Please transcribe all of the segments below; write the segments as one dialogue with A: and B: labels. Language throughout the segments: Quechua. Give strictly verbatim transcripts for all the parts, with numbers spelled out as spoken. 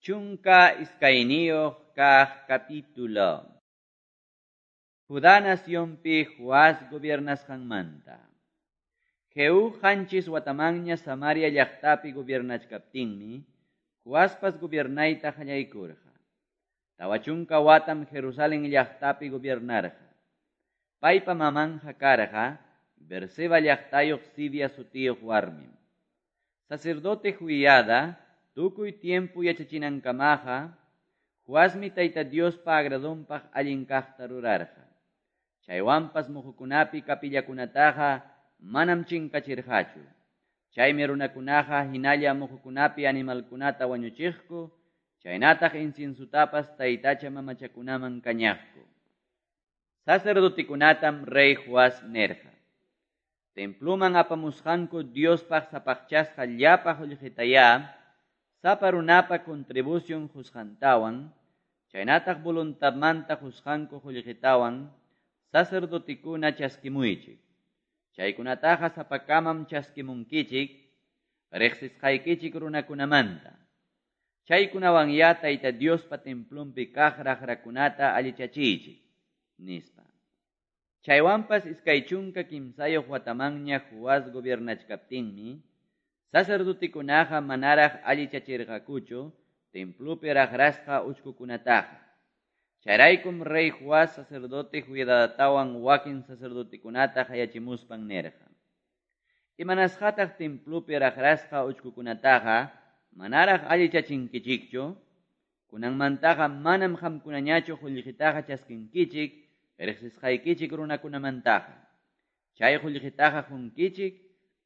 A: Chunka iskayniyuq kaq capítulo. Judá nacionpi Joás gobiernasqanmanta. Jehú qanchis watamanña Samaria llaqtapi gobiernachkaptinmi, Joaspas gobiernayta qallaykurqa. Tawa chunka watam Jerusalén llaqtapi gobiernarqa. Paypa mamanja karqa, Berseba llaqtayuq Sibia sutiyuq warmim. Sacerdote Joiada, tukuy tiempo yachachinankamaqa, Joasmi Tayta Diospa agradonpaq allin kaqta rurarqa. Chaywanpas muhukunapi kapillakunataqa manam chinkachirqachu. Chaymi runakunaqa hinalla muhukunapi animalkunata wañuchiqku, chaynataq inciensutapas taytacha mamachakunaman kañaqku. Sacerdotikunatam rey Joás nerqa: Templuman apamusqanku Diospaq sapaqchasqa llapa qullqitayá, sapa runapa contribución qusqantawan, chaynataq voluntadmanta qusqanku qullqitawan, sacerdotikuna chaskimuychik. Chaykunataqa sapakamam chaskimunkichik, riqsisqaykichik runakunamanta. Chaykunawanyá Tayta Diospa templunpi kaq raqrakunata allichachiychik, nispa. Chaywanpas iskay chunka kimsayuq watamanña Joás gobiernachkaptinmi, sacerdotikunaqa manaraq allichachirqakuchu templupi raqrasqa uchkukunataqa. Chayraykum rey Joás sacerdote Joiadatawan wakin sacerdotekunata qayachimuspan nirqa: Imanasqataq templupi raqrasqa uchkukunataqa manaraq allichachinkichikchu? Kunanmantaqa manam qamkunañachu qullqitaqa chaskinkichik riqsisqaykichik runakunamantaqa. Chay qullqitaqa qunkichik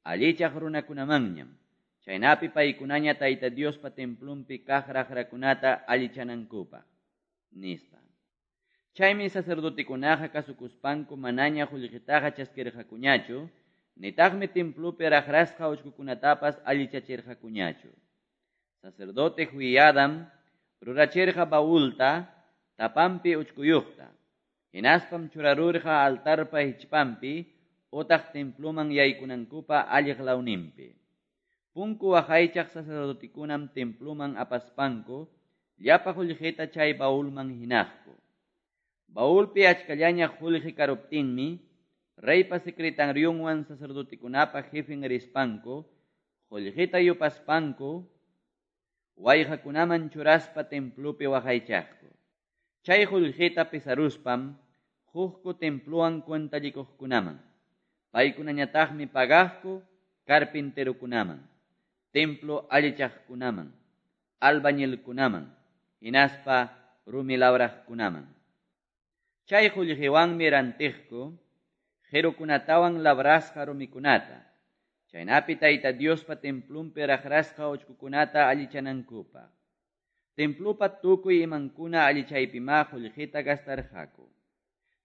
A: allichaq runakunamanñam. Chaynapi paykunaña Tayta Diospa templunpi kaq raqrakunata allichanankupaq, nispa. Chaymi sacerdotikunaqa kasukuspanku manaña qullqitaqa chaskirqakuñachu, nitaqmi templupi raqrasqa uchkukunatapas allichachirqakuñachu. Sacerdote Joiadam rurachirqa baulta tapanpi uchkuyuqta, hinaspam churarurqa altarpa hichpanpi utaq templuman yaykunankupa alliq lawninpi. Punku waqaychaq sacerdotekunam templuman apaspanku llapa qullqita chay baulman hinaqku. Baulpi achkallaña qullqi karuptinmi, reypa secretarionwan sacerdotekunapa jefen rispanku, qullqita yupaspanku, wayqakunaman churaspa templupi waqaychaqku. Chay qullqita pesaruspam, huqku templuwan cuentallikuqkunaman. Paykunañataqmi pagaqku carpinterukunaman, templo allichaqkunaman, albañilkunaman, hinaspa rumi labraqkunaman. Chay qullqiwanmi rantiqku qirukunatawan labrasqa rumikunata, chaynapi Tayta Diospa templunpi raqrasqa uchkukunata allichanankupaq. Templupa tukuy imankuna allichaypimá qullqita gastarqaku.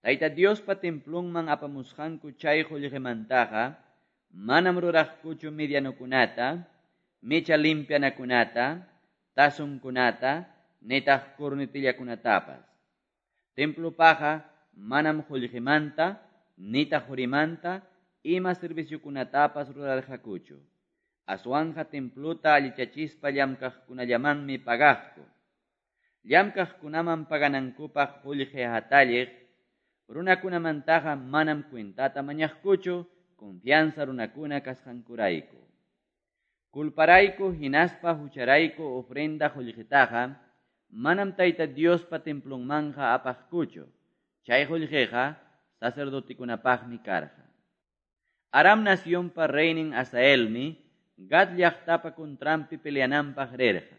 A: Tayta Diospa templunman apamusqanku chay qullqimantaqa manam ruraqkuchu medianokunata, mecha limpianakunata, tazonkunata, nitaq cornetillakunatapas. Templupaqa manam qullqimanta, nitaq qurimanta, ima serviciokunatapas rurarqakuchu. Aswanja templuta allichachispa llamkaqkunallamanmi pagaqku. Llamkaqkunaman paganankupaq qullqi hatalliq, runakunamantaqa manam cuentata mañaqkuchu, confianza runakuna kasqankurayku. Culparayku hinaspa hucharayku ofrenda qullqitaqa, manam Tayta Diospa templunmanja apaqkuchu. Chay qullqiqa sacerdotekunapaqmi karqa. Aram nacionpa reynin Hazaelmi Gad llaqtapa contranpi peleananpaq rirqa.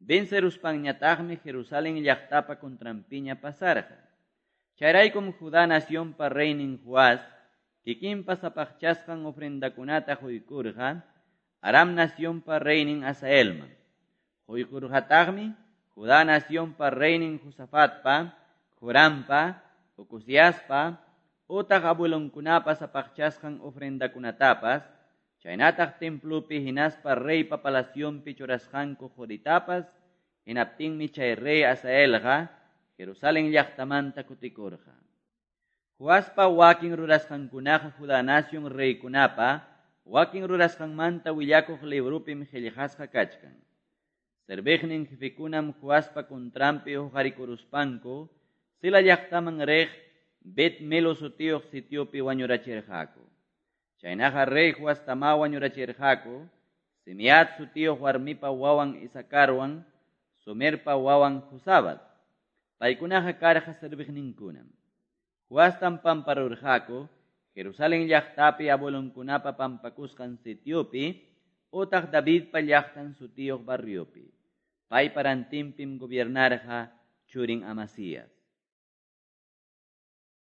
A: Venceruspanñataqmi Jerusalén llaqtapa contranpiña pasarqa. Chayraykum Judá nacionpa reynin Joás kikinpa sapaqchasqan ofrendakunata quykurqa Aram nacionpa reynin Hazaelman. Quykurqataqmi Judá nacionpa reynin Josafatpa, Jorampa, Ocoziaspa, utaq abuelonkunapa sapaqchasqan ofrendakunatapas, chaynataq templupi hinaspa reypa palacionpi churasqanku quritapas, hinaptinmi chay rey Hazaelqa Jerusalén llaqtamanta kutikurqa. Joaspa wakin rurasqankunaqa Judá nación reykunapa wakin rurasqanmanta willakuq librupim qillqasqa kachkan. Serviqnin jefekunam Joaspa contranpi huqarikuruspanku Sila llaqtaman riq Bet Milo sutiyuq sitiopi wañurachirqaku. Chaynaqa rey Joastamá wañurachirqaku Simeat sutiyuq warmipa wawan Isacarwan, Somerpa wawan Jozabad. Paykunaqa karqa serviqninkunam. Joastam pamparurqaku Jerusalén llaqtapi abuelonkunapa pampakusqan sitiopi utaq Davidpa llaqtan sutiyuq barriopi. Paypa rantinpim gobiernarqa churin Amasías.